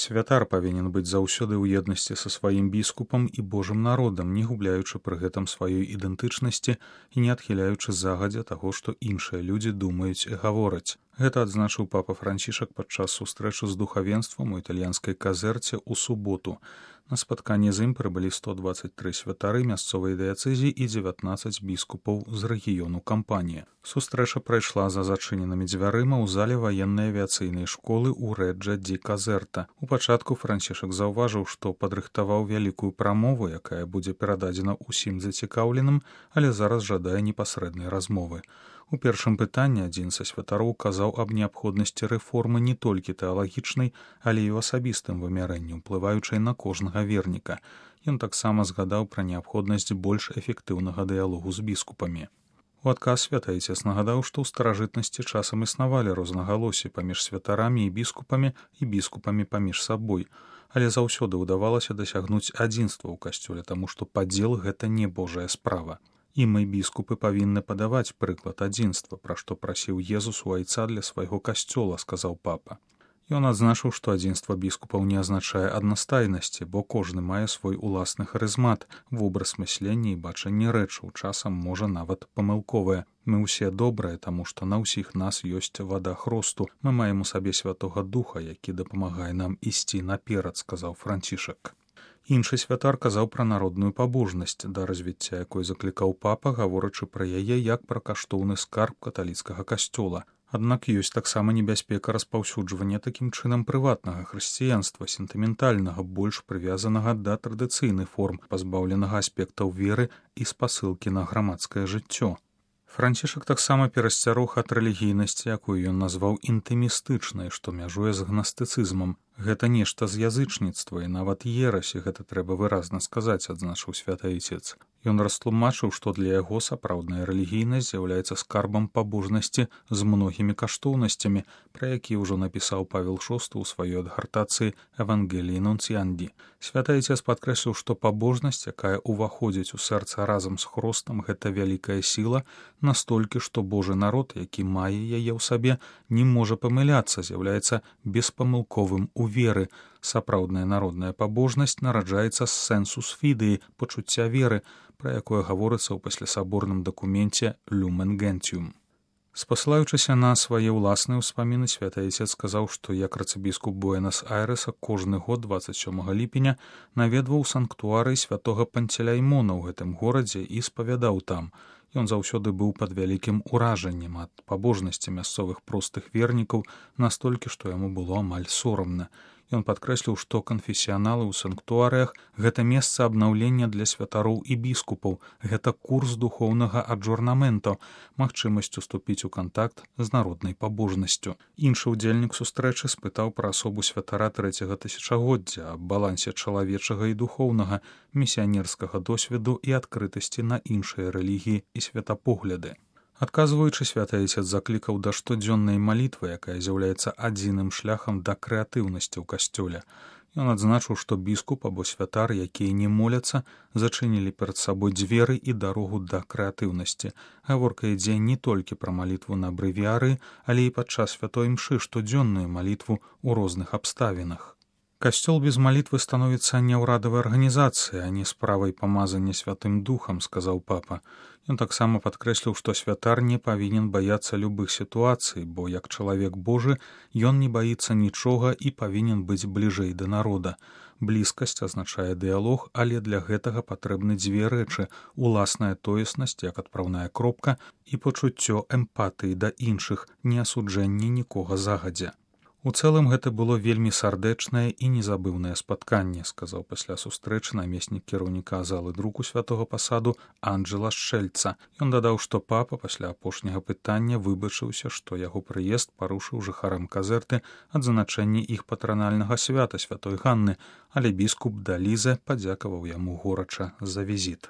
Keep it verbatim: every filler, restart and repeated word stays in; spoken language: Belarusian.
Святар павінен быць заўсёды ў еднасці са сваім біскупам і Божым народам, не губляючы пры гэтым сваёй ідэнтычнасці і не адхіляючы загадзя таго, што іншыя людзі думаюць і гавораць. Гэта адзначыў папа Францішак падчас сустрэчы з духавенствам у італьянскай казерце ў суботу. На спатканне з ім прыбылі сто дваццаць тры святары мясцовай дыяцэзіі і дзевятнаццаць біскупаў з рэгіёну кампаніі. Сустрэча прайшла за зачыненымі дзвярыма ў зале ваеннай авіяцыйнай школы ў Рэджа ді Казерта. У пачатку Францішак заўважыў, што падрыхтаваў вялікую прамову, якая будзе перададзена ўсім зацікаўленым, але зараз жадае непасрэднай размовы. У першым пытанні адзін са святароў казаў аб неабходнасці рэформы не толькі тэалагічнай, але і ў асабістым вымярэнні, уплываючай на кожнага верніка. Ён таксама згадаў пра неабходнасць больш эфектыўнага дыялогу з біскупамі. У адказ святаіцец нагадаў, што ў старажытнасці часам існавалі рознагалоссі паміж святарамі і біскупамі і біскупамі паміж сабой, але заўсёды ўдавалася дасягнуць адзінства ў касцёле, таму што падзел гэта не Божая справа. І мы, біскупы, павінны падаваць прыклад адзінства, пра што прасіў Езус у айца для свайго касцёла, сказаў папа. Ён адзначыў, што адзінства біскупаў не азначае аднастайнасці, бо кожны мае свой уласны харызмат, вобраз мыслення і бачанне рэчаў, часам можа нават памылковае. Мы ўсе добрыя, таму што на ўсіх нас ёсць вада хросту. Мы маем у сабе Святога Духа, які дапамагае нам ісці наперад, сказаў Францішак. Іншы святар казаў пра народную пабожнасць, да развіцця якой заклікаў папа, гаворачы пра яе як пра каштоўны скарб каталіцкага касцёла. Аднак ёсць таксама небяспека распаўсюджвання такім чынам прыватнага хрысціянства, сентыментальнага, больш прывязанага да традыцыйных форм, пазбаўленага аспектаў веры і спасылкі на грамадскае жыццё. Францішак таксама перасцярог ад рэлігійнасці, якую ён назваў інтымістычнай, што мяжуе з гнастыцызмам. Гэта нешта з язычніцтва і нават ерасі, гэта трэба выразна сказаць, адзначыў святаіцец. Ён растлумачыў, што для яго сапраўдная рэлігійнасць з'яўляецца скарбам пабожнасці з многімі каштоўнасцямі, пра якія ўжо напісаў Павел шосты ў сваёй адгартацыі «Евангеліі Нунціанді». Святаіцец падкрэсліў, што пабожнасць, якая ўваходзіць у сэрца разам з хростам, гэта вялікая сіла, настолькі, што Божы народ, які мае яе ў сабе, не можа памыляцца, з'яўляецца беспамылковым у веры. Сапраўдная народная пабожнасць нараджаецца з сэнсус фідыі, пачуцця веры, пра якое гаворыцца ў паслясаборным дакуменце «Люмен Гентиум». Спасылаючыся на свае ўласныя ўспаміны, святаіцец сказаў, што як арцыбіскуп Буэнас-Айрэса кожны год дваццаць сёмага ліпеня наведваў санктуарый святога Панцеляймона ў гэтым горадзе і спавядаў там. Ён заўсёды быў пад вялікім уражаннем ад пабожнасці мясцовых простых вернікаў, настолькі, што яму было амаль сорамна. Ён падкрэсліў, што канфесіяналы ў санктуарыях – гэта месца абнаўлення для святароў і біскупаў, гэта курс духоўнага аджорнаменту, магчымасць уступіць у кантакт з народнай пабожнасцю. Іншы ўдзельнік сустрэчы спытаў пра асобу святара трэцяга тысячагоддзя, аб балансе чалавечага і духоўнага, місіянерскага досведу і адкрытасці на іншыя рэлігіі і светапогляды. Адказваючы, святаіцец заклікаў да штодзённай малітвы, якая з'яўляецца адзіным шляхам да крэатыўнасці ў касцёле. Ён адзначыў, што біскуп або святар, якія не моляцца, зачынілі перад сабой дзверы і дарогу да крэатыўнасці. Гаворка ідзе не толькі пра малітву на брэвіяры, але і падчас святой імшы штодзённую малітву ў розных абставінах. Касцёл без малітвы становіцца няўрадавай арганізацыяй, а не справай памазання святым духам, сказаў папа. Ён таксама падкрэсліў, што святар не павінен баяцца любых сітуацый, бо як чалавек Божы ён не баіцца нічога і павінен быць бліжэй да народа. Блізкасць азначае дыялог, але для гэтага патрэбны дзве рэчы – уласная тоеснасць, як адпраўная кропка, і пачуццё эмпатыі да іншых, не асуджэнне нікога загадзя. У цэлым гэта было вельмі сардэчнае і незабыўнае спатканне, сказаў пасля сустрэчы намеснік кіраўніка залы друку святога пасаду Анджела Шчэльца. Ён дадаў, што папа пасля апошняга пытання выбачыўся, што яго прыезд парушыў жыхарам казерты адзначэнне іх патранальнага свята святой Ганны, але біскуп Далізе падзякаваў яму горача за візіт.